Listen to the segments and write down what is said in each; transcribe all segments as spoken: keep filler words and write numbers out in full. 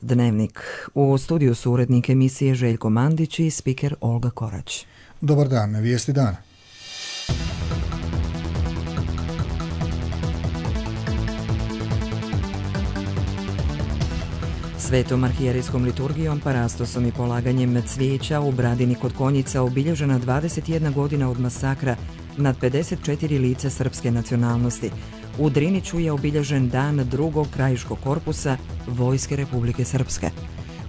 Dnevnik. U studiju su urednik emisije Željko Mandić i spiker Olga Korać. Dobar dan, vijesti dana. Svetom arhijerijskom liturgijom, parastosom i polaganjem cvijeća u Bradini kod Konjica obilježena dvadeset jedna godina od masakra nad pedeset četiri lica srpske nacionalnosti. U Driniću je obilježen dan drugog krajiškog korpusa Vojske Republike Srpske.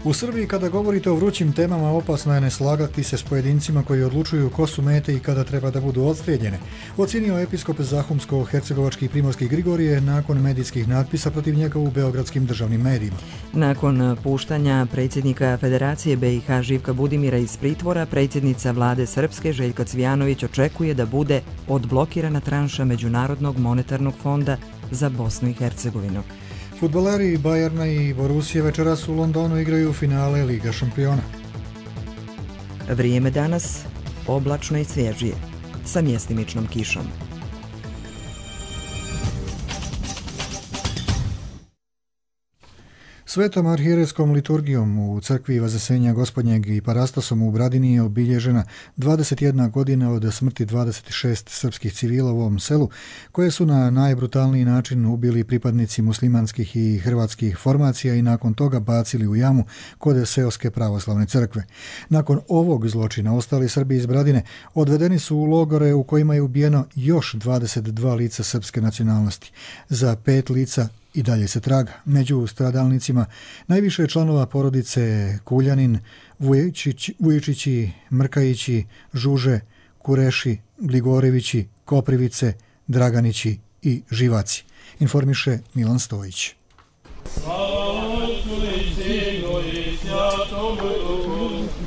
U Srbiji kada govorite o vrućim temama opasno je ne slagati se s pojedincima koji odlučuju ko su mete i kada treba da budu odstrijeljene, ocijenio episkop Zahumsko-hercegovački i primorski Grigorije nakon medijskih natpisa protiv njega u beogradskim državnim medijima. Nakon puštanja predsjednika Federacije B i H Živka Budimira iz pritvora, predsjednica vlade Srpske Željka Cvijanović očekuje da bude odblokirana tranša Međunarodnog monetarnog fonda za Bosnu i Hercegovinu. Fudbaleri Bajerna i Borusije večeras u Londonu igraju finale Liga šampiona. Vrijeme danas oblačno i svježije, sa mjestimičnom kišom. Svetom arhijerijskom liturgijom u crkvi Vazesenja Gospodnjeg i parastosom u Bradini je obilježena dvadeset jedna godina od smrti dvadeset šest srpskih civila u ovom selu, koje su na najbrutalniji način ubili pripadnici muslimanskih i hrvatskih formacija i nakon toga bacili u jamu kod seoske pravoslavne crkve. Nakon ovog zločina ostali Srbi iz Bradine odvedeni su u logore u kojima je ubijeno još dvadeset dva lica srpske nacionalnosti. Za pet lica i dalje se traga. Među stradalnicima najviše članova porodice Kuljanin, Vujičić, Vujičići, Mrkajići, Žuže, Kureši, Gligorevići, Koprivice, Draganići i Živaci. Informiše Milan Stojić.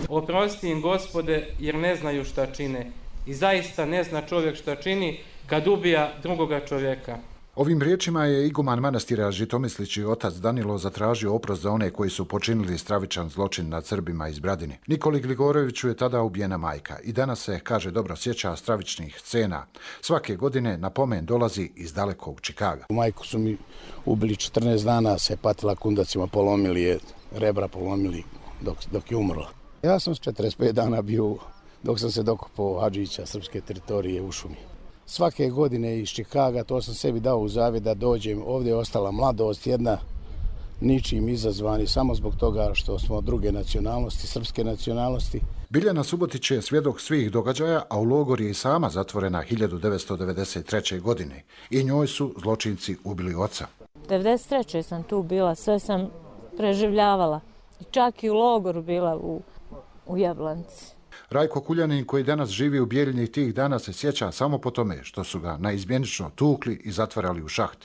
Oprosti im, Gospode, jer ne znaju šta čine. I zaista ne zna čovjek šta čini kad ubija drugoga čovjeka. Ovim riječima je iguman manastira Žitomislići otac Danilo zatražio oprost za one koji su počinili stravičan zločin nad Srbima iz Bradine. Nikoli Gligoroviću je tada ubijena majka i danas se, kaže, dobro sjeća stravičnih scena. Svake godine na pomen dolazi iz dalekog Čikaga. Majku su mi ubili četrnaest dana, se patila kundacima, polomili je, rebra polomili dok, dok je umrla. Ja sam s četrdeset pet dana bio dok sam se dokopao Hadžića, srpske teritorije u šumi. Svake godine iz Čikaga, to sam sebi dao u zavjet da dođem. Ovdje je ostala mladost, jedna ničim izazvani, samo zbog toga što smo druge nacionalnosti, srpske nacionalnosti. Biljana Subotić je svjedok svih događaja, a u logor je i sama zatvorena hiljadu devetsto devedeset treće. godine. I njoj su zločinci ubili oca. devedeset treće sam tu bila, sve sam preživljavala. Čak i u logoru bila u, u Jablanci. Rajko Kuljanin, koji danas živi u Bijeljini, tih dana se sjeća samo po tome što su ga naizmjenično tukli i zatvarali u šaht.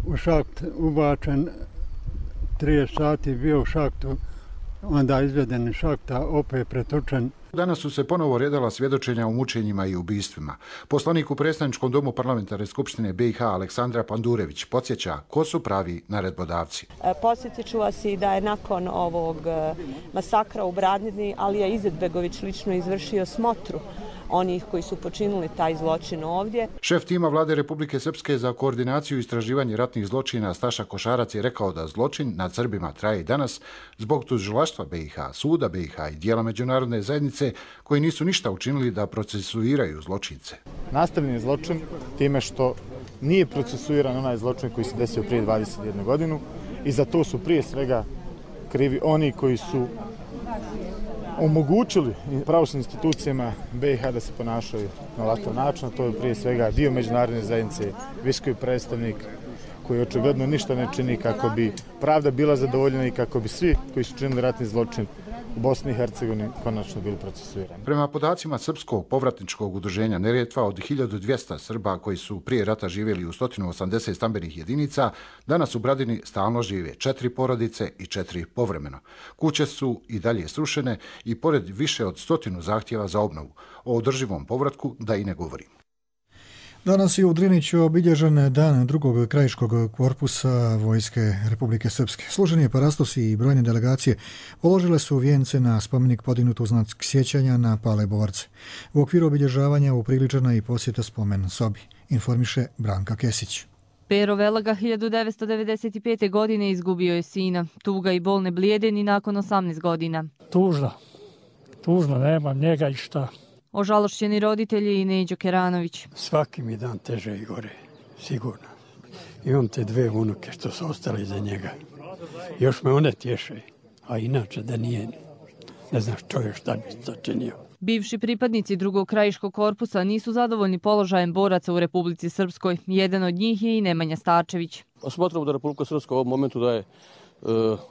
U šaht ubačen, trideset sati bio u šahtu, onda izveden iz šahta, opet pretočen. Danas su se ponovo redala svjedočenja o mučenjima i ubistvima. Poslanik u predstavničkom domu parlamentarne skupštine B i H Aleksandra Pandurević podsjeća ko su pravi naredbodavci. Podsjetit ću vas i da je nakon ovog masakra u Bradini Alija Izetbegović lično izvršio smotru onih koji su počinili taj zločin ovdje. Šef tima vlade Republike Srpske za koordinaciju i istraživanje ratnih zločina Staša Košarac je rekao da zločin nad Srbima traje i danas zbog tužilaštva B i H, suda B i H i dijela međunarodne zajednice koji nisu ništa učinili da procesuiraju zločince. Nastavljen je zločin time što nije procesuiran onaj zločin koji se desio prije dvadeset jednu godinu i za to su prije svega krivi oni koji su omogućili pravosudnim institucijama B i H da se ponašaju na ovakav način. To je prije svega dio međunarodne zajednice, visoki predstavnik koji očigledno ništa ne čini kako bi pravda bila zadovoljena i kako bi svi koji su činili ratni zločin u Bosni i Hercegovini konačno bili procesuirani. Prema podacima Srpskog povratničkog udruženja Neretva, od hiljadu dvjesto Srba koji su prije rata živjeli u sto osamdeset stambenih jedinica, danas u Bradini stalno žive četiri porodice i četiri povremeno. Kuće su i dalje srušene i pored više od stotinu zahtjeva za obnovu. O održivom povratku da i ne govorim. Danas je u Driniću obilježen dan drugog krajiškog korpusa Vojske Republike Srpske. Služeni parastosi i brojne delegacije položile su vijence na spomenik podignut u znak sjećanja na pale borce. U okviru obilježavanja upriličena i posjeta spomen sobi, informiše Branka Kesić. Pero Velaga hiljadu devetsto devedeset pete. godine izgubio je sina. Tuga i bol ne blijede ni nakon osamnaest godina. Tužno. Tužno, nemam njega i šta. Ožalošćeni roditelji i Neđo Keranović. Svaki mi dan teže i gore, sigurno. Imam te dve unuke što su ostali iza njega. Još me one tješe, a inače da nije, ne znaš čovjek šta bi začinio. Bivši pripadnici drugog krajiškog korpusa nisu zadovoljni položajem boraca u Republici Srpskoj. Jedan od njih je i Nemanja Starčević. Smatramo da Republika Srpska u ovom momentu daje e,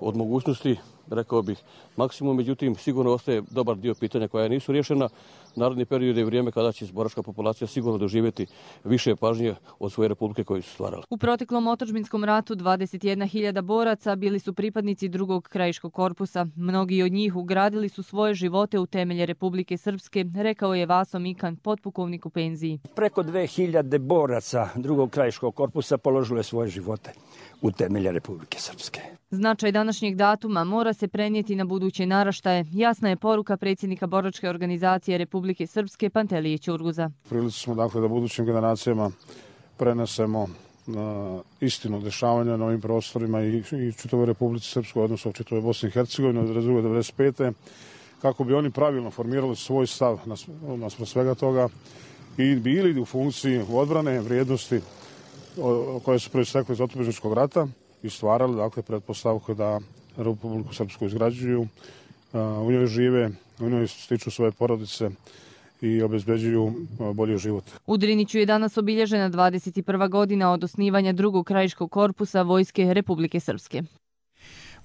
od mogućnosti, rekao bih, maksimum, međutim sigurno ostaje dobar dio pitanja koja nisu rješena. Naredni period je vrijeme kada će boračka populacija sigurno doživjeti više pažnje od svoje republike koju su stvarali. U proteklom otadžbinskom ratu dvadeset jedna hiljada boraca bili su pripadnici drugog krajiškog korpusa. Mnogi od njih ugradili su svoje živote u temelje Republike Srpske, rekao je Vaso Mikan, potpukovnik u penziji. Preko dve hiljade boraca drugog krajiškog korpusa položilo je svoje živote u temelje Republike Srpske. Značaj današnjeg datuma mora se prenijeti na buduće naraštaje. Jasna je poruka predsjednika boračke organizacije Republike Srpske Pantelije Ćurguza. Prilici smo dakle da budućim generacijama prenesemo na istinu dešavanja na ovim prostorima i, i čitavoj Republici Srpskoj, odnosno čitavoj Bosni i Hercegovini od devedeset pete. kako bi oni pravilno formirali svoj stav naspram svega toga i bili u funkciji odbrane vrijednosti koje su proistekle iz otadžbinskog rata i stvarali dakle pretpostavku da Republiku Srpsku izgrađuju, u njoj žive, u njoj stiču svoje porodice i obezbeđuju bolji život. U Driniću je danas obilježena dvadeset prva godina od osnivanja drugog krajiškog korpusa Vojske Republike Srpske.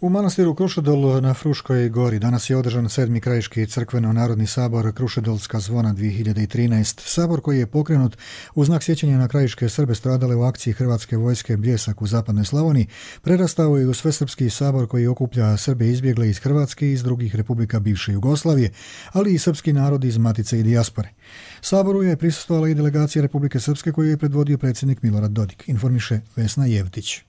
U manastiru Krušedol na Fruškoj gori danas je održan sedmi krajiški crkveno-narodni sabor Krušedolska zvona dvije hiljade trinaest. Sabor koji je pokrenut u znak sjećanja na krajiške Srbe stradale u akciji Hrvatske vojske Bljesak u zapadnoj Slavoniji, prerastao je u svesrpski sabor koji okuplja Srbe izbjegle iz Hrvatske i iz drugih republika bivše Jugoslavije, ali i srpski narod iz matice i dijaspore. Saboru je prisustvovala i delegacija Republike Srpske koju je predvodio predsjednik Milorad Dodik, informiše Vesna Jevtić.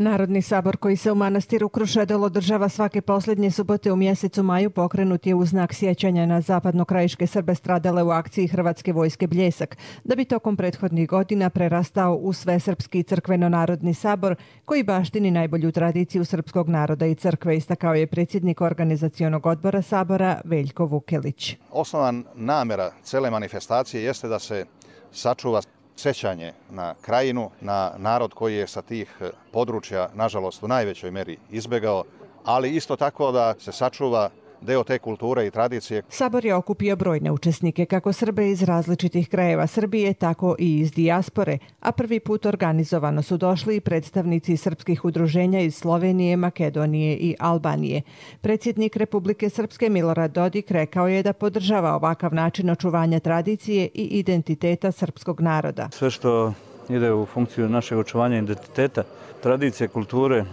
Narodni sabor koji se u manastiru Krušedol održava svake posljednje subote u mjesecu maju pokrenut je u znak sjećanja na zapadnokrajiške Srbe stradale u akciji Hrvatske vojske Bljesak, da bi tokom prethodnih godina prerastao u svesrpski crkveno-narodni sabor koji baštini najbolju tradiciju srpskog naroda i crkve, istakao je predsjednik organizacionog odbora sabora Veljko Vukelić. Osnovna namjera cele manifestacije jeste da se sačuva sjećanje na krajinu, na narod koji je sa tih područja, nažalost, u najvećoj meri izbjegao, ali isto tako da se sačuva deo te kulture i tradicije. Sabor je okupio brojne učesnike, kako Srbe iz različitih krajeva Srbije, tako i iz dijaspore, a prvi put organizovano su došli i predstavnici srpskih udruženja iz Slovenije, Makedonije i Albanije. Predsjednik Republike Srpske Milorad Dodik rekao je da podržava ovakav način očuvanja tradicije i identiteta srpskog naroda. Sve što ide u funkciju našeg očuvanja identiteta, tradicije, kulture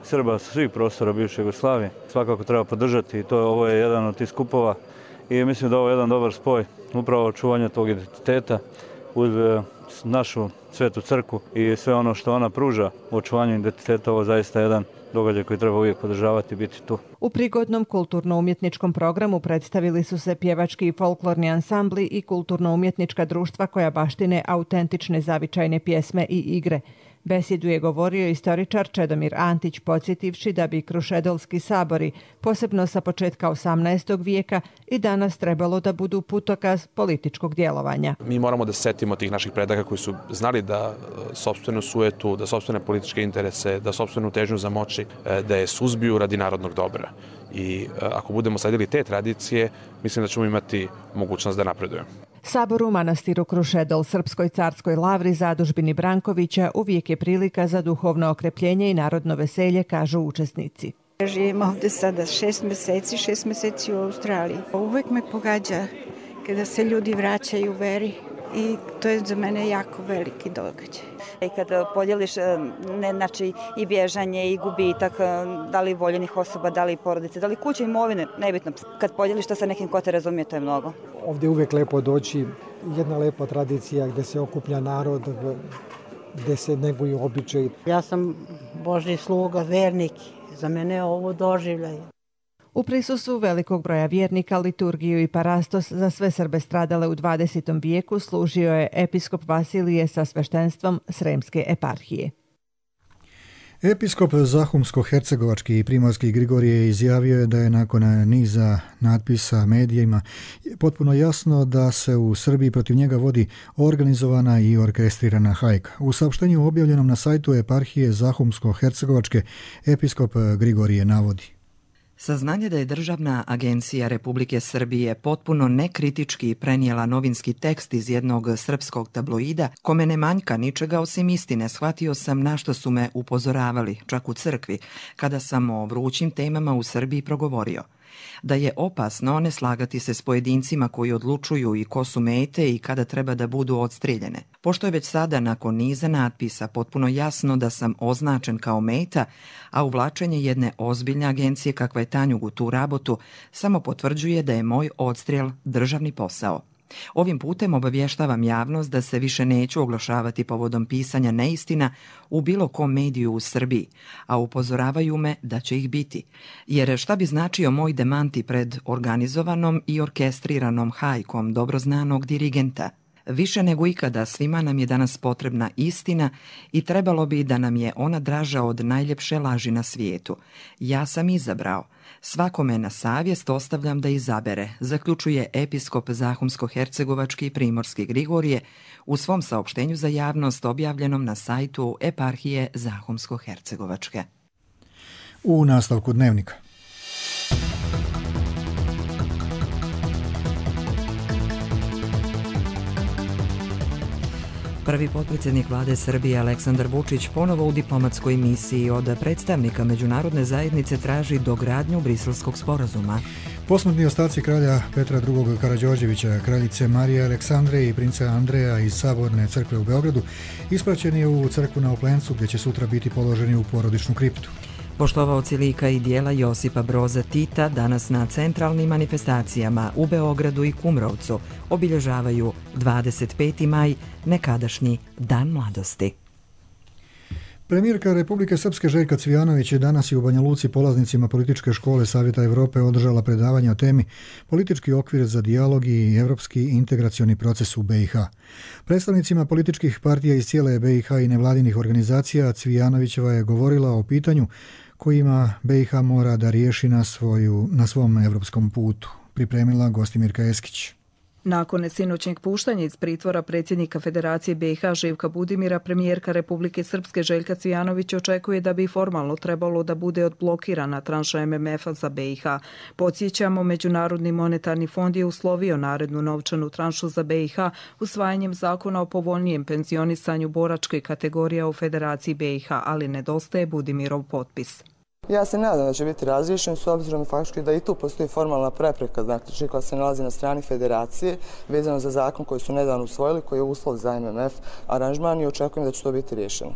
Srba sa svih prostora bivše Jugoslavije svakako treba podržati i to ovo je jedan od tih skupova i mislim da ovo je jedan dobar spoj upravo očuvanja tog identiteta uz našu svetu crkvu i sve ono što ona pruža u očuvanju identiteta. Ovo je zaista jedan događaj koji treba uvijek podržavati i biti tu. U prigodnom kulturno-umjetničkom programu predstavili su se pjevački i folklorni ansambli i kulturno-umjetnička društva koja baštine autentične zavičajne pjesme i igre. Besjedu je govorio istoričar Čedomir Antić, podsjetivši da bi krušedolski sabori, posebno sa početka osamnaestog vijeka, i danas trebalo da budu putokaz političkog djelovanja. Mi moramo da setimo tih naših predaka koji su znali da sopstvenu sujetu, da sopstvene političke interese, da sopstvenu težnju za moći, da je suzbiju radi narodnog dobra. I ako budemo sledili te tradicije, mislim da ćemo imati mogućnost da napredujemo. Sabor u manastiru Krušedol Srpskoj carskoj lavri zadužbini Brankovića uvijek je prilika za duhovno okrepljenje i narodno veselje, kažu učesnici. Živim ovdje sada šest mjeseci, šest mjeseci u Australiji. Uvijek me pogađa kada se ljudi vraćaju u veri i to je za mene jako veliki događaj. I kad podijeliš ne, znači, i bježanje i gubitak, da li voljenih osoba, da li porodice, da li kuće, imovine, nebitno. Kad podijeliš to sa nekim ko te razumije, to je mnogo. Ovdje je uvijek lepo doći, jedna lepa tradicija gdje se okuplja narod, gdje se neguju običaji. Ja sam Božji sluga, vernik, za mene je ovo doživljaj. U prisustvu velikog broja vjernika liturgiju i parastos za sve Srbe stradale u dvadesetom vijeku služio je episkop Vasilije sa sveštenstvom Sremske eparhije. Episkop Zahumsko-hercegovački i primorski Grigorije izjavio je da je nakon niza natpisa medijima potpuno jasno da se u Srbiji protiv njega vodi organizovana i orkestrirana hajka. U saopštenju objavljenom na sajtu eparhije Zahumsko-hercegovačke episkop Grigorije navodi: Saznanje da je Državna agencija Republike Srbije potpuno nekritički prenijela novinski tekst iz jednog srpskog tabloida, kome ne manjka ničega osim istine, shvatio sam na što su me upozoravali, čak u crkvi, kada sam o vrućim temama u Srbiji progovorio. Da je opasno ne slagati se s pojedincima koji odlučuju i ko su mete i kada treba da budu odstrijeljene. Pošto je već sada nakon niza natpisa potpuno jasno da sam označen kao meta, a uvlačenje jedne ozbiljne agencije kakva je Tanjug u tu rabotu samo potvrđuje da je moj odstrijel državni posao. Ovim putem obavještavam javnost da se više neću oglašavati povodom pisanja neistina u bilo kom mediju u Srbiji, a upozoravaju me da će ih biti. Jer šta bi značio moj demanti pred organizovanom i orkestriranom hajkom dobro znanog dirigenta? Više nego ikada svima nam je danas potrebna istina i trebalo bi da nam je ona draža od najljepše laži na svijetu. Ja sam izabrao. Svakome na savjest ostavljam da izabere, zaključuje episkop Zahumsko-hercegovački i primorski Grigorije u svom saopštenju za javnost objavljenom na sajtu eparhije Zahumsko-hercegovačke. U nastavku dnevnika. Prvi potpredsjednik vlade Srbije Aleksandar Vučić ponovo u diplomatskoj misiji od predstavnika međunarodne zajednice traži dogradnju Briselskog sporazuma. Posmrtni ostaci kralja Petra drugog. Karađorđevića, kraljice Marije Aleksandre i princa Andreja iz Saborne crkve u Beogradu ispraćen je u crkvu na Oplencu gdje će sutra biti položeni u porodičnu kriptu. Poštovaoci lika i dijela Josipa Broza Tita danas na centralnim manifestacijama u Beogradu i Kumrovcu obilježavaju dvadeset peti maj, nekadašnji Dan mladosti. Premijerka Republike Srpske Željka Cvijanović je danas i u Banja Luci polaznicima političke škole Savjeta Evrope održala predavanje o temi Politički okvir za dijalog i evropski integracioni proces u B i H. Predstavnicima političkih partija iz cijele B i H i nevladinih organizacija Cvijanovićeva je govorila o pitanju kojima B i H mora da riješi na, svoju, na svom evropskom putu. Pripremila Gostimirka Eskić. Nakon sinoćnjeg puštanja iz pritvora predsjednika Federacije B i H Živka Budimira, premijerka Republike Srpske Željka Cvijanović očekuje da bi formalno trebalo da bude odblokirana tranša M M F-a za B i H. Podsjećamo, Međunarodni monetarni fond je uslovio narednu novčanu tranšu za B i H usvajanjem zakona o povoljnijem penzionisanju boračke kategorije u Federaciji B i H, ali nedostaje Budimirov potpis. Ja se nadam da će biti razriješen s obzirom faktički da i tu postoji formalna prepreka, znači koja se nalazi na strani federacije vezano za zakon koji su nedavno usvojili, koji je uslov za M M F aranžman i očekujem da će to biti riješeno.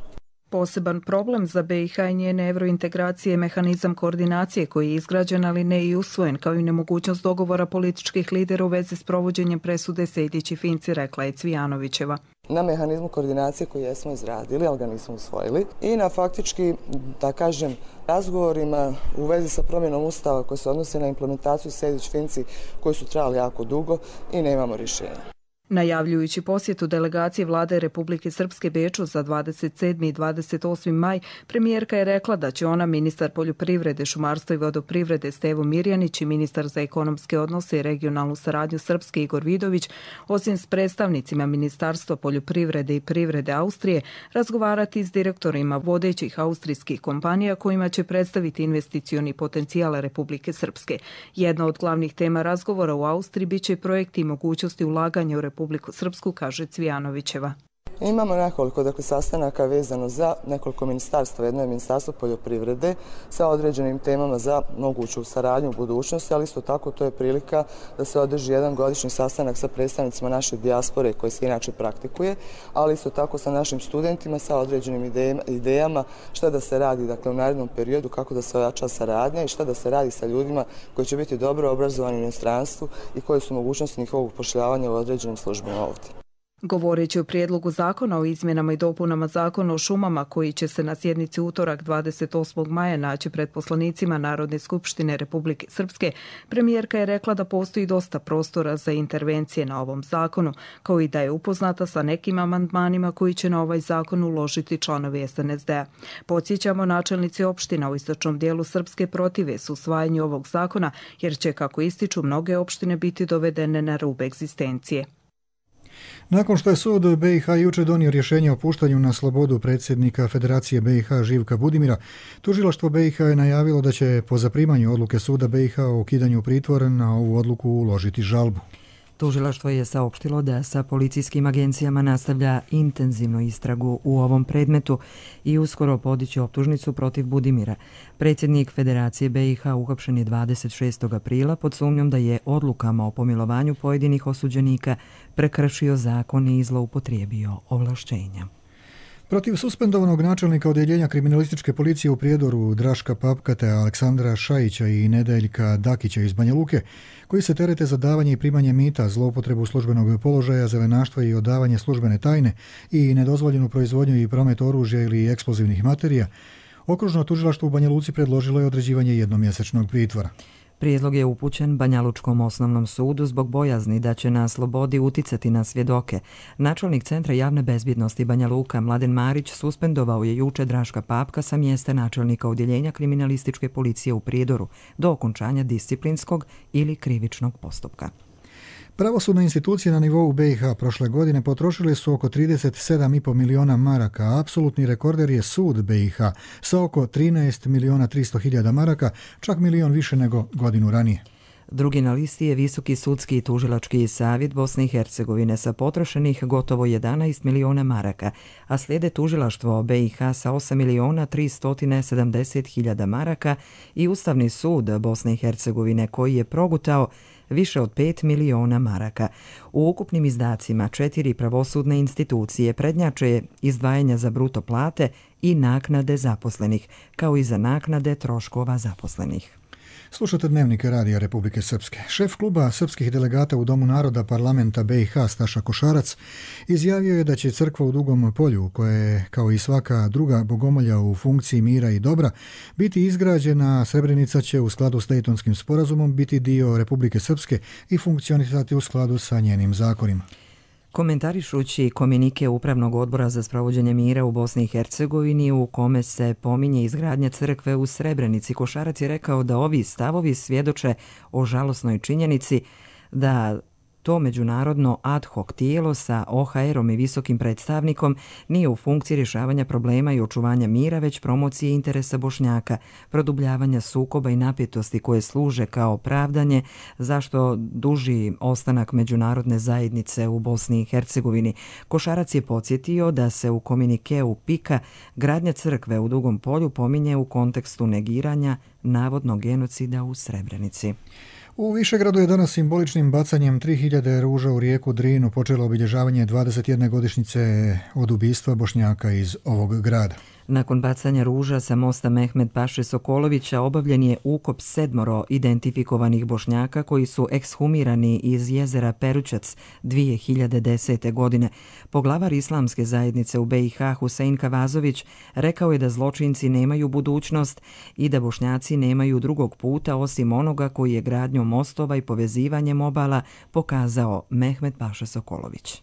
Poseban problem za B i H i njene evrointegracije je mehanizam koordinacije koji je izgrađen, ali ne i usvojen, kao i nemogućnost dogovora političkih lidera u vezi s provođenjem presude Sejdić i Finci, rekla je Cvijanovićeva. Na mehanizmu koordinacije koji jesmo izradili, ali ga nismo usvojili, i na faktički, da kažem, razgovorima u vezi sa promjenom ustava koji se odnose na implementaciju Sejdić-Finci koji su trajali jako dugo i nemamo rješenja. Najavljujući posjetu delegacije vlade Republike Srpske Beču za dvadeset sedmi i dvadeset osmi maj, premijerka je rekla da će ona, ministar poljoprivrede, šumarstva i vodoprivrede Stevo Mirjanić i ministar za ekonomske odnose i regionalnu saradnju Srpske Igor Vidović, osim s predstavnicima Ministarstva poljoprivrede i privrede Austrije, razgovarati s direktorima vodećih austrijskih kompanija kojima će predstaviti investicioni potencijal Republike Srpske. Jedna od glavnih tema razgovora u Austriji biće projekti i mogućnosti ulaganja u Republiku Republiku Srpsku, kaže Cvijanovićeva. Imamo nekoliko dakle, sastanaka vezano za nekoliko ministarstva. Jedno je Ministarstvo poljoprivrede sa određenim temama za moguću saradnju u budućnosti, ali isto tako to je prilika da se održi jedan godišnji sastanak sa predstavnicima naše dijaspore koji se inače praktikuje, ali isto tako sa našim studentima sa određenim idejama šta da se radi dakle, u narednom periodu, kako da se ojača saradnja i šta da se radi sa ljudima koji će biti dobro obrazovani u inostranstvu i koje su mogućnosti njihovog upošljavanja u određenim službama ovdje. Govoreći o prijedlogu zakona o izmjenama i dopunama zakona o šumama koji će se na sjednici utorak dvadeset osmog maja naći pred poslanicima Narodne skupštine Republike Srpske, premijerka je rekla da postoji dosta prostora za intervencije na ovom zakonu, kao i da je upoznata sa nekim amandmanima koji će na ovaj zakon uložiti članovi es en es de a. Podsjećamo, načelnici opština u istočnom dijelu Srpske protive su usvajanju ovog zakona, jer će, kako ističu, mnoge opštine biti dovedene na rub egzistencije. Nakon što je sud be i ha juče donio rješenje o puštanju na slobodu predsjednika Federacije be i ha Živka Budimira, tužilaštvo be i ha je najavilo da će po zaprimanju odluke suda be i ha o ukidanju pritvora na ovu odluku uložiti žalbu. Tužilaštvo je saopštilo da sa policijskim agencijama nastavlja intenzivnu istragu u ovom predmetu i uskoro podiće optužnicu protiv Budimira. Predsjednik Federacije be i ha uhapšen je dvadeset šestog aprila pod sumnjom da je odlukama o pomilovanju pojedinih osuđenika prekršio zakon i zloupotrijebio ovlašćenja. Protiv suspendovanog načelnika odjeljenja kriminalističke policije u Prijedoru Draška Papka te Aleksandra Šajića i Nedeljka Dakića iz Banja Luke, koji se terete za davanje i primanje mita, zloupotrebu službenog položaja, zelenaštva i odavanje službene tajne i nedozvoljenu proizvodnju i promet oružja ili eksplozivnih materija, okružno tužilaštvo u Banja Luci predložilo je određivanje jednomjesečnog pritvora. Prijedlog je upućen Banjalučkom osnovnom sudu zbog bojazni da će na slobodi uticati na svjedoke. Načelnik Centra javne bezbjednosti Banja Luka Mladen Marić suspendovao je juče Draška Papka sa mjesta načelnika odjeljenja kriminalističke policije u Prijedoru do okončanja disciplinskog ili krivičnog postupka. Pravosudne institucije na nivou be i ha prošle godine potrošile su oko trideset sedam i po miliona maraka, a apsolutni rekorder je sud be i ha sa oko trinaest miliona tristo hiljada maraka, čak milion više nego godinu ranije. Drugi na listi je Visoki sudski i tužilački savjet Bosne i Hercegovine sa potrošenih gotovo jedanaest miliona maraka, a slijede tužilaštvo be i ha sa osam miliona tristo sedamdeset hiljada maraka i Ustavni sud Bosne i Hercegovine koji je progutao više od pet miliona maraka. U ukupnim izdacima četiri pravosudne institucije prednjače izdvajanja za bruto plate i naknade zaposlenih, kao i za naknade troškova zaposlenih. Slušate Dnevnik Radija Republike Srpske. Šef kluba srpskih delegata u Domu naroda parlamenta be i ha Staša Košarac izjavio je da će crkva u Dugom polju, koja je kao i svaka druga bogomolja u funkciji mira i dobra, biti izgrađena. Srebrenica će u skladu s Dejtonskim sporazumom biti dio Republike Srpske i funkcionisati u skladu sa njenim zakonima. Komentarišući komunike Upravnog odbora za sprovođenje mira u Bosni i Hercegovini u kome se pominje izgradnja crkve u Srebrenici, Košarac je rekao da ovi stavovi svjedoče o žalosnoj činjenici da to međunarodno ad hoc tijelo sa o ha erom i visokim predstavnikom nije u funkciji rješavanja problema i očuvanja mira, već promocije interesa Bošnjaka, produbljavanja sukoba i napetosti koje služe kao pravdanje zašto duži ostanak međunarodne zajednice u Bosni i Hercegovini. Košarac je podsjetio da se u komunikeu pika gradnja crkve u Dugom polju pominje u kontekstu negiranja navodnog genocida u Srebrenici. U Višegradu je danas simboličnim bacanjem tri hiljade ruža u rijeku Drinu počelo obilježavanje dvadeset jedne godišnjice od ubistva Bošnjaka iz ovog grada. Nakon bacanja ruža sa mosta Mehmed Paše Sokolovića obavljen je ukop sedmoro identifikovanih Bošnjaka koji su ekshumirani iz jezera Perućac dvije hiljade desete. godine. Poglavar islamske zajednice u be i ha Husein Kavazović rekao je da zločinci nemaju budućnost i da Bošnjaci nemaju drugog puta osim onoga koji je gradnjom mostova i povezivanjem obala pokazao Mehmed Paša Sokolović.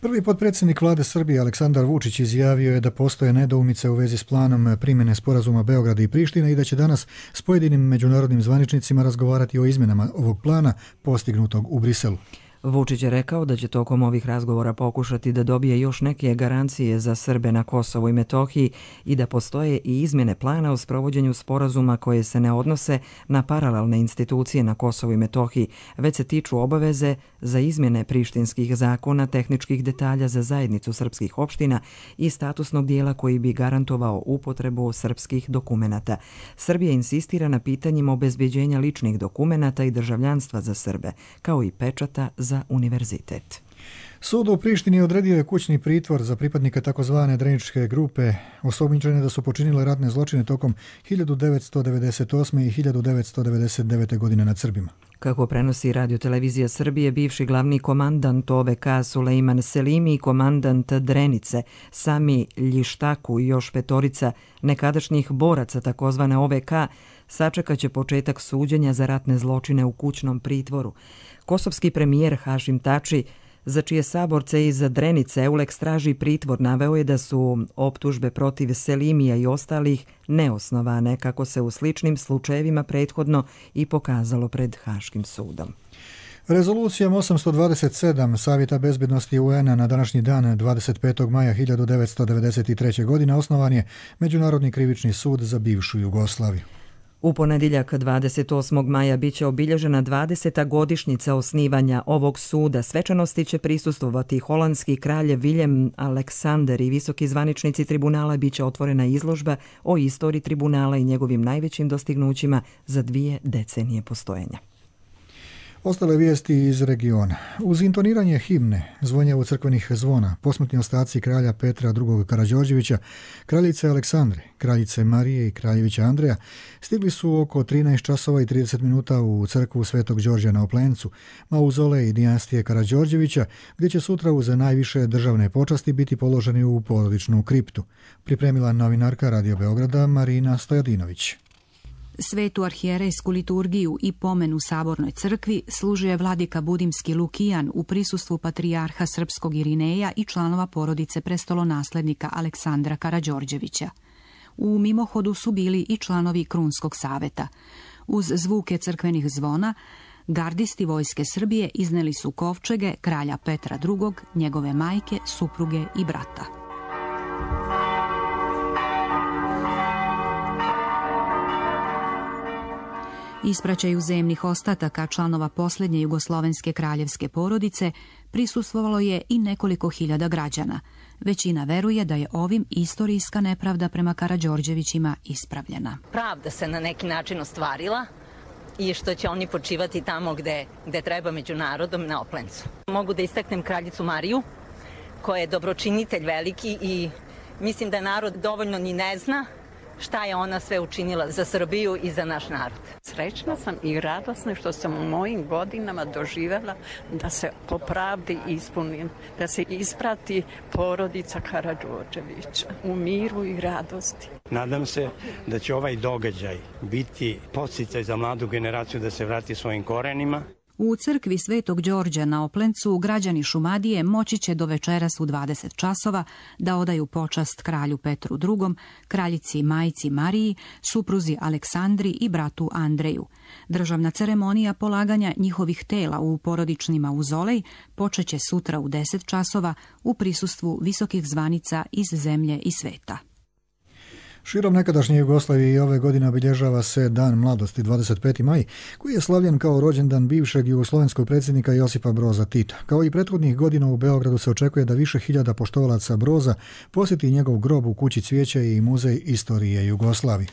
Prvi potpredsjednik vlade Srbije Aleksandar Vučić izjavio je da postoje nedoumice u vezi s planom primjene sporazuma Beograda i Prištine i da će danas s pojedinim međunarodnim zvaničnicima razgovarati o izmjenama ovog plana postignutog u Briselu. Vučić je rekao da će tokom ovih razgovora pokušati da dobije još neke garancije za Srbe na Kosovu i Metohiji i da postoje i izmjene plana o sprovođenju sporazuma koje se ne odnose na paralelne institucije na Kosovu i Metohiji, već se tiču obaveze za izmjene prištinskih zakona, tehničkih detalja za zajednicu srpskih opština i statusnog dijela koji bi garantovao upotrebu srpskih dokumenata. Srbija insistira na pitanjima obezbeđenja ličnih dokumenata i državljanstva za Srbe, kao i pečata za univerzitet. Sud u Prištini odredio je kućni pritvor za pripadnike takozvane Dreničke grupe, osumnjičene da su počinile ratne zločine tokom hiljadu devetsto devedeset osme. i hiljadu devetsto devedeset devete. godine nad Srbima. Kako prenosi Radio-televizija Srbije, bivši glavni komandant O V K Sulejman Selimi i komandant Drenice Sami Ljištaku i još petorica nekadašnjih boraca takozvane O V K sačekat će početak suđenja za ratne zločine u kućnom pritvoru. Kosovski premijer Hašim Tači, za čije saborce iz Drenice Euleks traži pritvor, naveo je da su optužbe protiv Selimija i ostalih neosnovane, kako se u sličnim slučajevima prethodno i pokazalo pred Haškim sudom. Rezolucijom osamsto dvadeset sedam Savjeta bezbednosti U N-a na današnji dan dvadeset petog maja hiljadu devetsto devedeset treće. godine osnovan je Međunarodni krivični sud za bivšu Jugoslaviju. U ponedjeljak dvadeset osmog maja biće obilježena dvadeseta godišnjica osnivanja ovog suda. Svečanosti će prisustvovati holandski kralj Viljem Aleksander i visoki zvaničnici tribunala. Biće otvorena izložba o istoriji tribunala i njegovim najvećim dostignućima za dvije decenije postojanja. Ostale vijesti iz regiona. Uz intoniranje himne, zvonjavu crkvenih zvona, posmrtni ostaci kralja Petra drugog. Karađorđevića, kraljice Aleksandre, kraljice Marije i kraljevića Andreja stigli su oko trinaest časova i trideset minuta u crkvu Svetog Đorđa na Oplencu, mauzolej dinastije Karađorđevića, gdje će sutra uz najviše državne počasti biti položeni u porodičnu kriptu. Pripremila novinarka Radio Beograda Marina Stojadinović. Svetu arhijerejsku liturgiju i pomen u Sabornoj crkvi služuje vladika Budimski Lukijan u prisustvu patrijarha srpskog Irineja i članova porodice prestolonaslednika Aleksandra Karađorđevića. U mimohodu su bili i članovi Krunskog saveta. Uz zvuke crkvenih zvona, gardisti vojske Srbije izneli su kovčege kralja Petra drugog, njegove majke, supruge i brata. Ispraćaju zemnih ostataka članova posljednje jugoslovenske kraljevske porodice prisustvovalo je i nekoliko hiljada građana. Većina veruje da je ovim istorijska nepravda prema Karađorđevićima ispravljena. Pravda se na neki način ostvarila i što će oni počivati tamo gde, gde treba među narodom na Oplencu. Mogu da istaknem kraljicu Mariju, koja je dobročinitelj veliki i mislim da narod dovoljno ni ne zna šta je ona sve učinila za Srbiju i za naš narod. Srećna sam i radosna što sam u mojim godinama doživjela da se po pravdi ispuni, da se isprati porodica Karađorđevića u miru i radosti. Nadam se da će ovaj događaj biti podsticaj za mladu generaciju da se vrati svojim korenima. U crkvi Svetog Đorđa na Oplencu građani Šumadije moći će do večeras u dvadeset časova da odaju počast kralju Petru drugom, kraljici i majci Mariji, supruzi Aleksandri i bratu Andreju. Državna ceremonija polaganja njihovih tela u porodični mauzolej počeće sutra u deset časova u prisustvu visokih zvanica iz zemlje i sveta. Širom nekadašnje Jugoslavije i ove godine obilježava se Dan mladosti dvadeset peti maj, koji je slavljen kao rođendan bivšeg jugoslovenskog predsjednika Josipa Broza Tita. Kao i prethodnih godina u Beogradu se očekuje da više hiljada poštovalaca Broza posjeti njegov grob u Kući cvijeća i Muzej istorije Jugoslavije.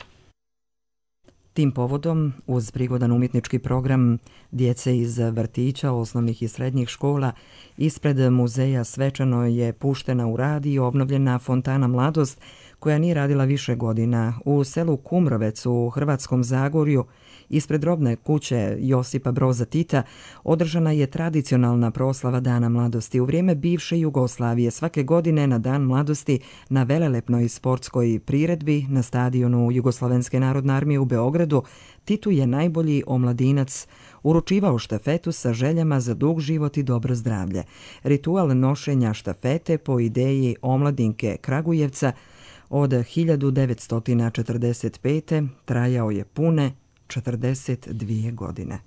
Tim povodom, uz prigodan umjetnički program djece iz vrtića, osnovnih i srednjih škola, ispred muzeja svečano je puštena u rad i obnovljena fontana Mladost, koja nije radila više godina. U selu Kumrovec u Hrvatskom Zagorju, ispred robne kuće Josipa Broza Tita, održana je tradicionalna proslava Dana mladosti. U vrijeme bivše Jugoslavije svake godine na Dan mladosti na velelepnoj sportskoj priredbi na stadionu Jugoslovenske narodne armije u Beogradu Titu je najbolji omladinac uručivao štafetu sa željama za dug život i dobro zdravlje. Ritual nošenja štafete po ideji omladinke Kragujevca od hiljadu devetsto četrdeset pete trajao je pune četrdeset dvije godine.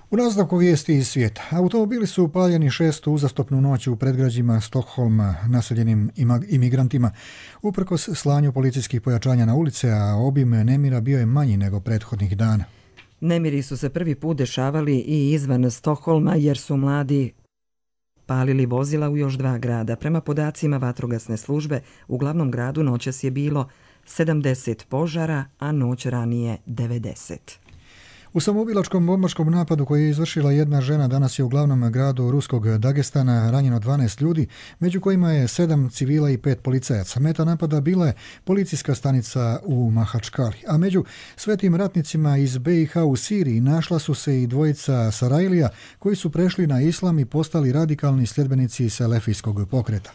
U nastavku vijesti iz svijeta. Automobili su upaljeni šestu uzastopnu noć u predgrađima Stokholma naseljenim imigrantima. Uprkos slanju policijskih pojačanja na ulice, a obim nemira bio je manji nego prethodnih dana. Nemiri su se prvi put dešavali i izvan Stokholma jer su mladi palili vozila u još dva grada. Prema podacima vatrogasne službe, u glavnom gradu noćas je bilo sedamdeset požara, a noć ranije devedeset. U samoubilačkom bombaškom napadu koji je izvršila jedna žena danas je u glavnom gradu ruskog Dagestana ranjeno dvanaest ljudi, među kojima je sedam civila i pet policajaca. Meta napada bila je policijska stanica u Mahačkali, a među svetim ratnicima iz B i H u Siriji našla su se i dvojica Sarajlija koji su prešli na islam i postali radikalni sljedbenici selefijskog pokreta.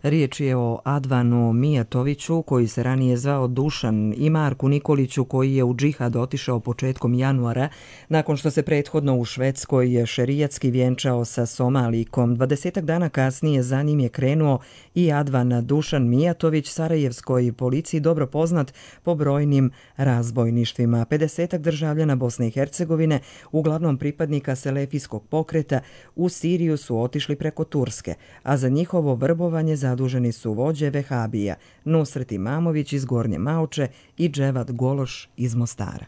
Riječ je o Advanu Mijatoviću, koji se ranije zvao Dušan, i Marku Nikoliću, koji je u džihad otišao početkom januara, nakon što se prethodno u Švedskoj šerijatski vjenčao sa Somalikom. Dvadesetak dana kasnije za njim je krenuo i Advan Dušan Mijatović, sarajevskoj policiji dobro poznat po brojnim razbojništvima. pedesetak državljana Bosne i Hercegovine, uglavnom pripadnika selefijskog pokreta, u Siriju su otišli preko Turske, a za njihovo vrbovanje za zaduženi su vođe Vehabija, Nusret Imamović iz Gornje Maoče i Dževad Gološ iz Mostara.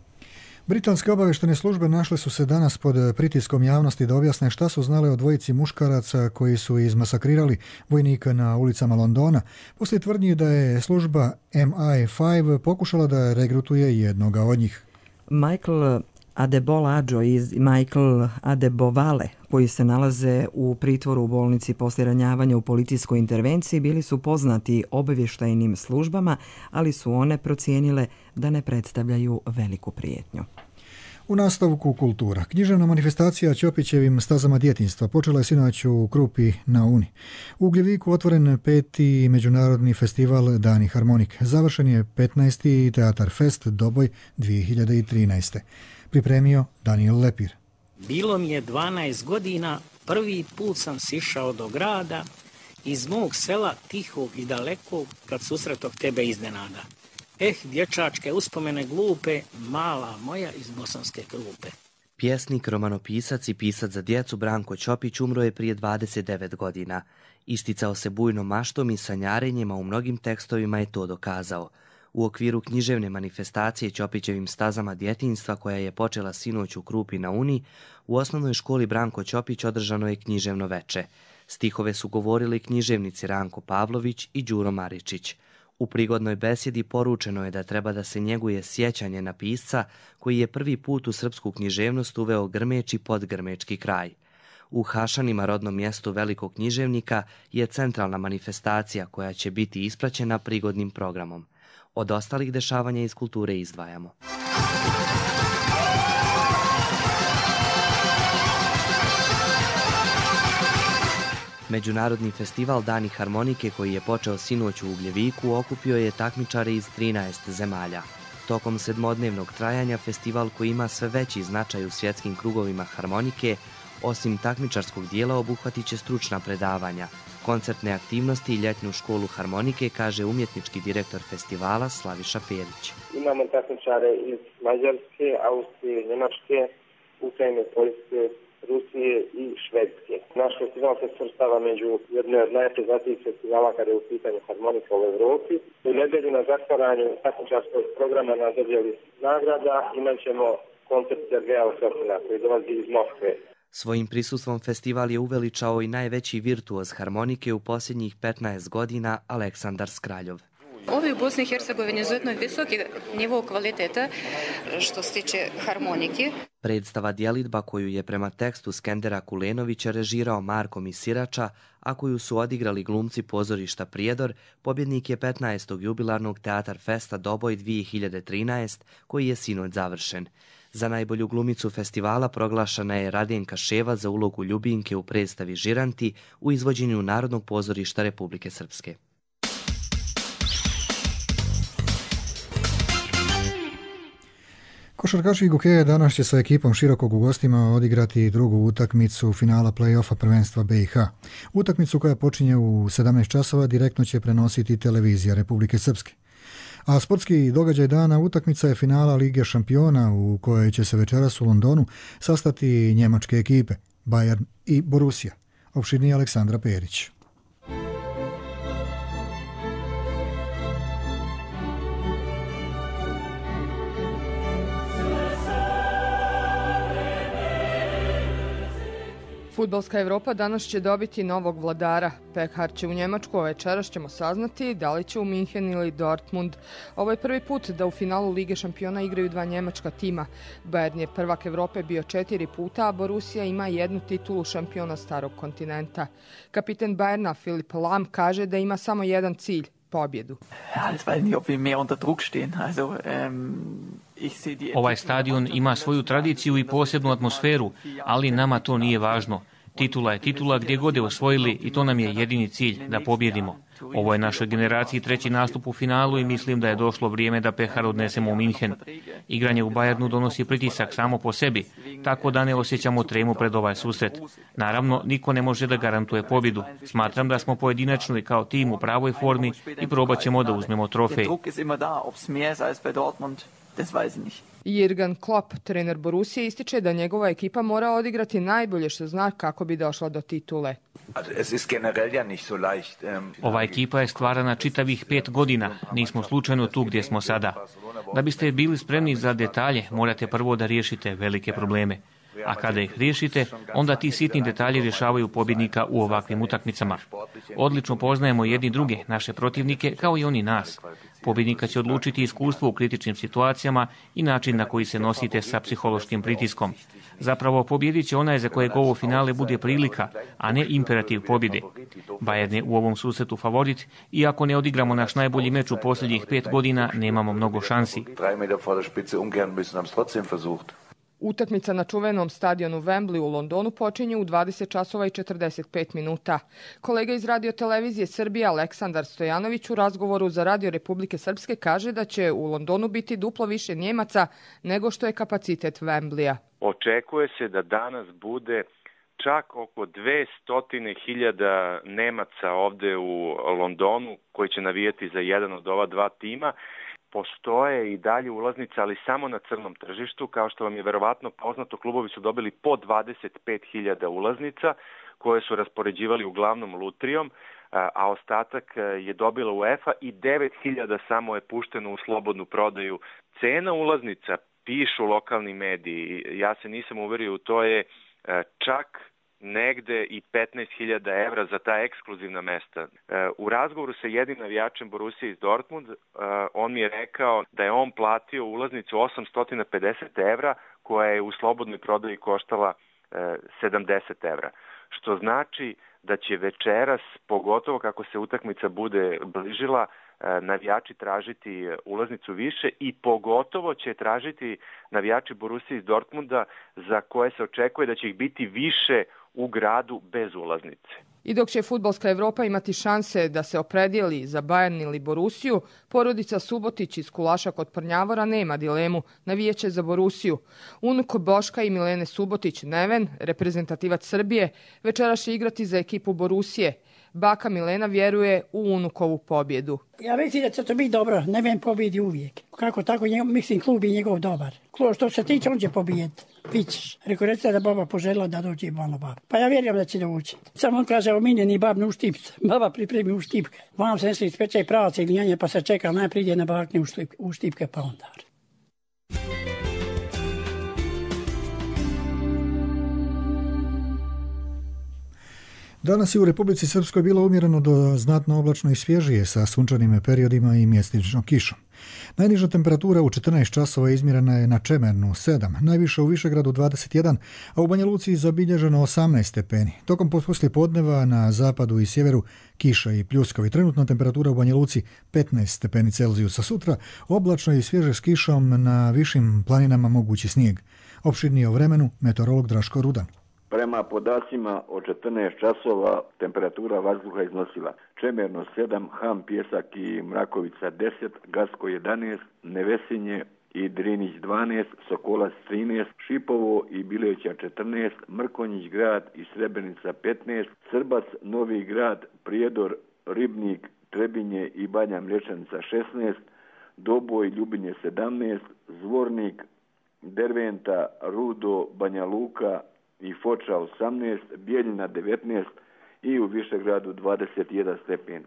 Britanske obaveštene službe našle su se danas pod pritiskom javnosti da objasne šta su znale o dvojici muškaraca koji su izmasakrirali vojnika na ulicama Londona, poslije tvrdnji da je služba M I pet pokušala da regrutuje jednoga od njih. Michael Adebolađo i Michael Adebovale, koji se nalaze u pritvoru u bolnici poslije ranjavanja u policijskoj intervenciji, bili su poznati obavještajnim službama, ali su one procijenile da ne predstavljaju veliku prijetnju. U nastavku kultura. Književna manifestacija Ćopićevim stazama djetinjstva počela je sinoć u Krupi na Uni. U Ugljeviku otvoren peti međunarodni festival Dani harmonike. Završen je petnaesti Teatar Fest Doboj dvije hiljade trinaeste. Pripremio Daniel Lepir. Bilo mi je dvanaest godina, prvi put sam sišao do grada, iz mog sela tihog i dalekog, kad susretog tebe iznenada. Eh, dječačke uspomene glupe, mala moja iz Bosanske Krupe. Pjesnik, romanopisac i pisac za djecu Branko Ćopić umro je prije dvadeset devet godina. Isticao se bujnom maštom i sanjarenjima, u mnogim tekstovima je to dokazao. U okviru književne manifestacije Ćopićevim stazama djetinjstva, koja je počela sinoć u Krupi na Uni, u osnovnoj školi Branko Ćopić održano je književno veče. Stihove su govorili književnici Ranko Pavlović i Đuro Maričić. U prigodnoj besjedi poručeno je da treba da se njeguje sjećanje na pisca koji je prvi put u srpsku književnost uveo grmeč i podgrmečki kraj. U Hašanima, rodnom mjestu velikog književnika, je centralna manifestacija koja će biti ispraćena prigodnim programom. Od ostalih dešavanja iz kulture izdvajamo. Međunarodni festival Dani harmonike, koji je počeo sinoć u Ugljeviku, okupio je takmičare iz trinaest zemalja. Tokom sedmodnevnog trajanja festival, koji ima sve veći značaj u svjetskim krugovima harmonike, osim takmičarskog dijela obuhvatit će stručna predavanja, koncertne aktivnosti i ljetnu školu harmonike, kaže umjetnički direktor festivala Slaviša Pelić. Imamo takmičare iz Mađarske, Austrije, Njemačke, Ukrajine, Poljske, Rusije i Švedske. Naš festival se svrstava među jedne od najpreznatijih festivala kada je u pitanju harmonika u Evropi. U nedelju na zatvaranju takmičarskog programa na dodjeli nagrada imat ćemo koncert Sergeja Osofina koji dolazi iz Moskve. Svojim prisustvom festival je uveličao i najveći virtuoz harmonike u posljednjih petnaest godina, Aleksandar Skraljov. Ovi u Bosni i Hercegovini izuzetno visoki nivo kvaliteta što se tiče harmonike. Predstava djelidba, koju je prema tekstu Skendera Kulenovića režirao Marko Misirača, a koju su odigrali glumci pozorišta Prijedor, pobjednik je petnaestog jubilarnog Teatar Festa Doboj dvije hiljade trinaeste, koji je sinoć završen. Za najbolju glumicu festivala proglašena je Radenka Ševa za ulogu Ljubinke u predstavi Žiranti u izvođenju Narodnog pozorišta Republike Srpske. Košarkaši Gokeja danas će sa ekipom Širokog u gostima odigrati drugu utakmicu finala play-offa prvenstva B i H. Utakmicu koja počinje u sedamnaest časova direktno će prenositi televizija Republike Srpske. A sportski događaj dana utakmica je finala Lige šampiona u kojoj će se večeras u Londonu sastati njemačke ekipe Bayern i Borussia. Opširnije Aleksandra Perić. Fudbalska Evropa danas će dobiti novog vladara. Pehar će u Njemačku, a večeras ćemo saznati da li će u Minhen ili Dortmund. Ovo je prvi put da u finalu Lige šampiona igraju dva njemačka tima. Bayern je prvak Evrope bio četiri puta, a Borussia ima jednu titulu šampiona starog kontinenta. Kapiten Bayerna Philipp Lahm kaže da ima samo jedan cilj, pobjedu. Ovaj stadion ima svoju tradiciju i posebnu atmosferu, ali nama to nije važno. Titula je titula gdje god je osvojili i to nam je jedini cilj, da pobjedimo. Ovo je našoj generaciji treći nastup u finalu i mislim da je došlo vrijeme da pehar odnesemo u Minhen. Igranje u Bayernu donosi pritisak samo po sebi, tako da ne osjećamo tremu pred ovaj susret. Naravno, niko ne može da garantuje pobjedu. Smatram da smo pojedinačno i kao tim u pravoj formi i probat ćemo da uzmemo trofej. Jürgen Klopp, trener Borussije, ističe da njegova ekipa mora odigrati najbolje što zna kako bi došla do titule. Ova ekipa je stvarana čitavih pet godina, nismo slučajno tu gdje smo sada. Da biste bili spremni za detalje, morate prvo da riješite velike probleme. A kada ih riješite, onda ti sitni detalji rješavaju pobjednika u ovakvim utakmicama. Odlično poznajemo jedni druge, naše protivnike, kao i oni nas. Pobjednika će odlučiti iskustvo u kritičnim situacijama i način na koji se nosite sa psihološkim pritiskom. Zapravo, pobjedit će onaj za kojeg ovo finale bude prilika, a ne imperativ pobjede. Bayern je u ovom susretu favorit i ako ne odigramo naš najbolji meč u posljednjih pet godina, nemamo mnogo šansi. Utakmica na čuvenom stadionu Wembley u Londonu počinje u dvadeset časova i četrdeset pet minuta. Kolega iz Radio televizije Srbije Aleksandar Stojanović u razgovoru za Radio Republike Srpske kaže da će u Londonu biti duplo više Njemaca nego što je kapacitet Wembleya. Očekuje se da danas bude čak oko dvesta hiljada Nemaca ovde u Londonu koji će navijati za jedan od ova dva tima. Postoje i dalje ulaznice, ali samo na crnom tržištu. Kao što vam je verovatno poznato, klubovi su dobili po dvadeset pet hiljada ulaznica koje su raspoređivali uglavnom lutrijom, a ostatak je dobila UEFA i devet hiljada samo je pušteno u slobodnu prodaju. Cena ulaznica, pišu lokalni mediji, ja se nisam uverio u to, je čak negde i petnaest hiljada evra za ta ekskluzivna mesta. U razgovoru sa jednim navijačem Borussije iz Dortmund, on mi je rekao da je on platio ulaznicu osamsto pedeset evra koja je u slobodnoj prodaji koštala sedamdeset evra. Što znači da će večeras, pogotovo kako se utakmica bude bližila, navijači tražiti ulaznicu više i pogotovo će tražiti navijači Borussije iz Dortmunda za koje se očekuje da će ih biti više u gradu bez ulaznice. I dok će Fudbalska Evropa imati šanse da se opredijeli za Bayern ili Borussiju, porodica Subotić iz Kulaša kod Prnjavora nema dilemu, navijeće za Borussiju. Unuk Boška i Milene Subotić, Neven, reprezentativac Srbije, večeras će igrati za ekipu Borussije. Baka Milena vjeruje u unukovu pobjedu. Ja mislim da će to biti dobro, Neven pobjedi uvijek. Kako tako, mislim, klub je njegov dobar. Klub što se tiče, on će pobijeti. Vićeš. Rekao, recite da baba poželjela da dođe i malo bab. Pa ja vjerujem da će doći. Samo on kaže, omiljeni bab ne uštipca. Baba pripremi uštipke. Vam se nesli ispeče i pravaca ili njanje, pa se čeka, najprije ide na bakne uštipke, pa onda. Danas je u Republici Srpskoj bilo umjereno do znatno oblačno i svježije sa sunčanim periodima i mjestimičnom kišom. Najniža temperatura u četrnaest časova izmjerena je na Čemernu sedam, najviša u Višegradu dvadeset jedan, a u Banja Luci zabilježeno osamnaest stepeni. Tokom poslijepodneva na zapadu i sjeveru kiša i pljuskovi. Trenutna temperatura u Banja Luci petnaest stepeni Celzijusa. Sutra oblačno i svježe s kišom, na višim planinama mogući snijeg. Opširnije o vremenu meteorolog Draško Rudan. Prema podacima od četrnaest časova temperatura vazduha iznosila Čemerno sedam, Ham, Pjesak i Mrakovica deset, Gasko jedanaest, Nevesinje i Drinić dvanaest, Sokolac trinaest, Šipovo i Bileća četrnaest, Mrkonjić grad i Srebrenica petnaest, Srbac, Novi grad, Prijedor, Ribnik, Trebinje i Banja Mlječanica šesnaest, Doboj, Ljubinje sedamnaest, Zvornik, Derventa, Rudo, Banja Luka i Foča osamnaest, Bijeljina devetnaest i u Višegradu dvadeset jedan stepen.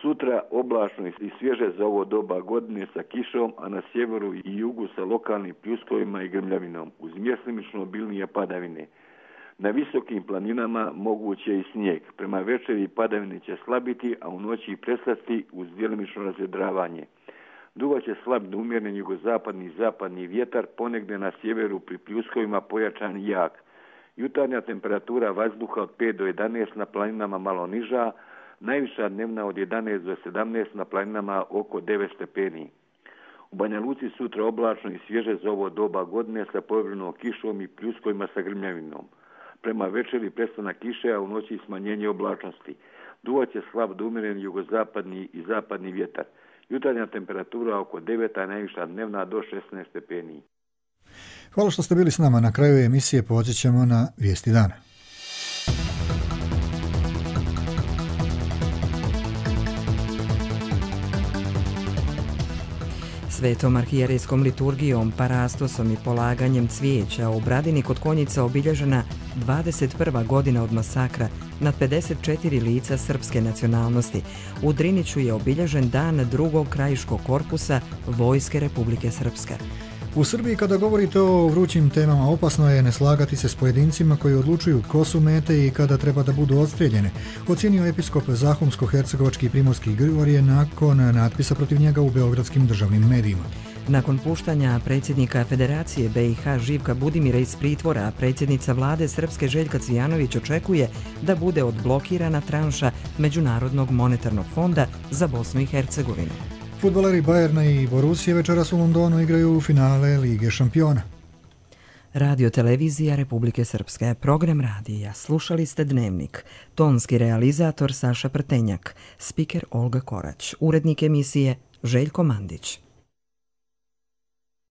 Sutra oblačno i svježe za ovo doba godine sa kišom, a na sjeveru i jugu sa lokalnim pljuskovima i grmljavinom, uz mjestimično obilnije padavine. Na visokim planinama moguće je i snijeg. Prema večeri padavine će slabiti, a u noći prestati uz djelimično razvedravanje. Duvaće slab do umjeren jugozapadni i zapadni vjetar, ponegdje na sjeveru pri pljuskovima pojačan i jak. Jutarnja temperatura vazduha od pet do jedanaest, na planinama malo niža, najviša dnevna od jedanaest do sedamnaest, na planinama oko devet stepeni. U Banja Luci sutra oblačno i svježe za ovo doba godine sa povremenom kišom i pljuskovima sa grmljavinom. Prema večeri prestanak kiše, a u noći smanjenje oblačnosti. Duvaće slab do umjeren jugozapadni i zapadni vjetar. Jutarnja temperatura oko devet, a najviša dnevna do šesnaest stepeni. Hvala što ste bili s nama. Na kraju emisije podsjećamo na vijesti dana. Svetom arhijerejskom liturgijom, parastosom i polaganjem cvijeća u Bradini kod Konjica obilježena dvadeset prva godina od masakra nad pedeset četiri lica srpske nacionalnosti. U Driniću je obilježen dan drugog krajiškog korpusa Vojske Republike Srpske. U Srbiji kada govorite o vrućim temama opasno je ne slagati se s pojedincima koji odlučuju ko su mete i kada treba da budu odstrijeljene, ocijenio episkop Zahumsko-hercegovački i primorski Grigorije nakon natpisa protiv njega u beogradskim državnim medijima. Nakon puštanja predsjednika Federacije B i H Živka Budimira iz pritvora, predsjednica vlade Srpske Željka Cvijanović očekuje da bude odblokirana tranša Međunarodnog monetarnog fonda za Bosnu i Hercegovinu. Fudbaleri Bajerna i Borusije večeras u Londonu igraju u finale Lige šampiona. Radio televizija Republike Srpske, program radija. Slušali ste Dnevnik. Tonski realizator Saša Prtenjak, spiker Olga Korać, urednik emisije Željko Mandić.